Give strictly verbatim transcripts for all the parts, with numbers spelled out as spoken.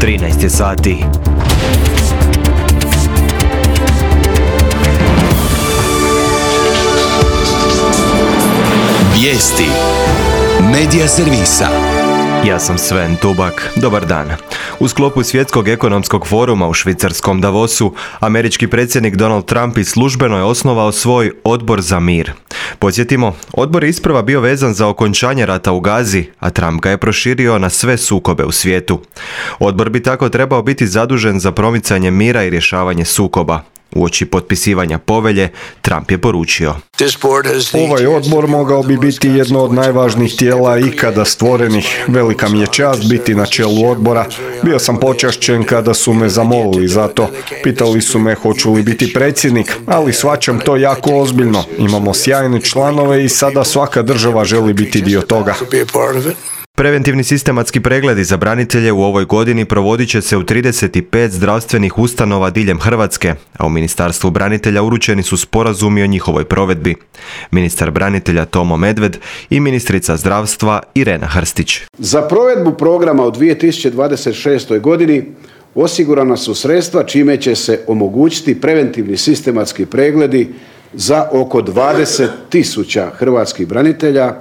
trinaest je sati. Vijesti Medija servisa. Ja sam Sven Tubak. Dobar dan. U sklopu Svjetskog ekonomskog foruma u švicarskom Davosu, američki predsjednik Donald Trump i službeno je osnovao svoj odbor za mir. Podsjetimo, odbor je isprva bio vezan za okončanje rata u Gazi, a Trump ga je proširio na sve sukobe u svijetu. Odbor bi tako trebao biti zadužen za promicanje mira i rješavanje sukoba. Uoči potpisivanja povelje, Trump je poručio: Ovaj odbor mogao bi biti jedno od najvažnijih tijela ikada stvorenih. Velika mi je čast biti na čelu odbora. Bio sam počašćen kada su me zamolili za to. Pitali su me hoću li biti predsjednik, ali shvaćam to jako ozbiljno. Imamo sjajne članove i sada svaka država želi biti dio toga. Preventivni sistematski pregledi za branitelje u ovoj godini provodit će se u trideset pet zdravstvenih ustanova diljem Hrvatske, a u Ministarstvu branitelja uručeni su sporazumi o njihovoj provedbi. Ministar branitelja Tomo Medved i ministrica zdravstva Irena Hrstić. Za provedbu programa u dvije tisuće dvadeset šestoj. godini osigurana su sredstva čime će se omogućiti preventivni sistematski pregledi za oko dvadeset tisuća hrvatskih branitelja,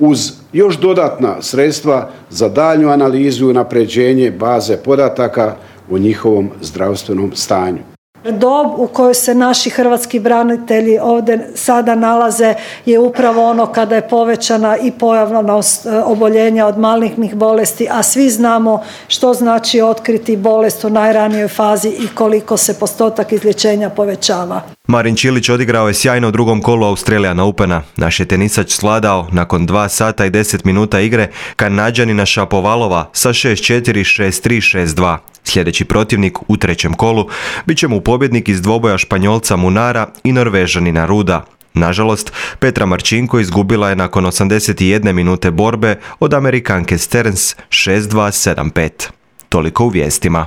uz još dodatna sredstva za daljnju analizu i unapređenje baze podataka o njihovom zdravstvenom stanju. Dob u kojoj se naši hrvatski branitelji ovdje sada nalaze je upravo ono kada je povećana i pojavnost oboljenja od malignih bolesti, a svi znamo što znači otkriti bolest u najranijoj fazi i koliko se postotak izlječenja povećava. Marin Čilić odigrao je sjajno u drugom kolu Australian Opena. Naš je tenisač svladao nakon dva sata i deset minuta igre Kanađanina Šapovalova sa šest četiri, šest tri, šest dva. Sljedeći protivnik u trećem kolu bit će mu pobjednik iz dvoboja Španjolca Munara i Norvežanina Ruda. Nažalost, Petra Marčinko izgubila je nakon osamdeset jedne minute borbe od Amerikanke Stearns šest dva, sedam pet. Toliko u vijestima.